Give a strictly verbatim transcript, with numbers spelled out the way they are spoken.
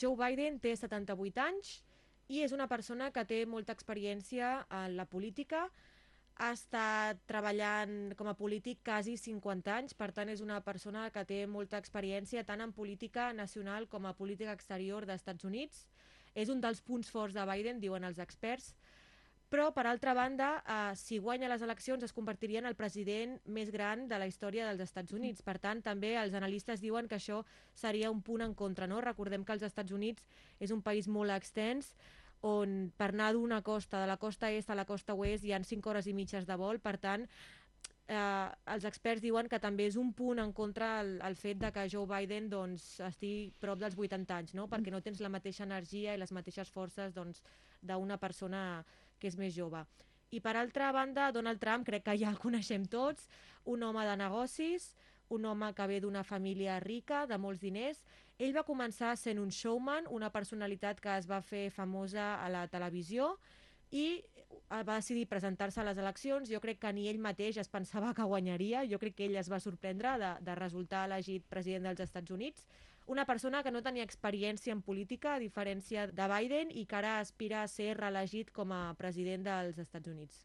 Joe Biden té setanta-vuit anys i és una persona que té molta experiència en la política. Ha estat treballant com a polític quasi cinquanta anys, per tant és una persona que té molta experiència tant en política nacional com a política exterior dels Estats Units. És un dels punts forts de Biden, diuen els experts. Però, per altra banda, eh, si guanya les eleccions es convertiria en el president més gran de la història dels Estats Units. Per tant, també els analistes diuen que això seria un punt en contra. No? Recordem que els Estats Units és un país molt extens, on per anar d'una costa, de la costa est a la costa oest, hi ha cinc hores i mitges de vol. Per tant, eh, els experts diuen que també és un punt en contra el, el fet de que Joe Biden doncs, estigui prop dels vuitanta anys, no? Perquè no tens la mateixa energia i les mateixes forces doncs, d'una persona que és més jove. I per altra banda, Donald Trump crec que ja el coneixem tots, un home de negocis, un home que ve d'una família rica, de molts diners. Ell va començar sent un showman, una personalitat que es va fer famosa a la televisió, i va decidir presentar-se a les eleccions. Jo crec que ni ell mateix es pensava que guanyaria. Jo crec que ell es va sorprendre de, de resultar elegit president dels Estats Units. Una persona que no tenia experiència en política, a diferència de Biden, i que ara aspira a ser reelegit com a president dels Estats Units.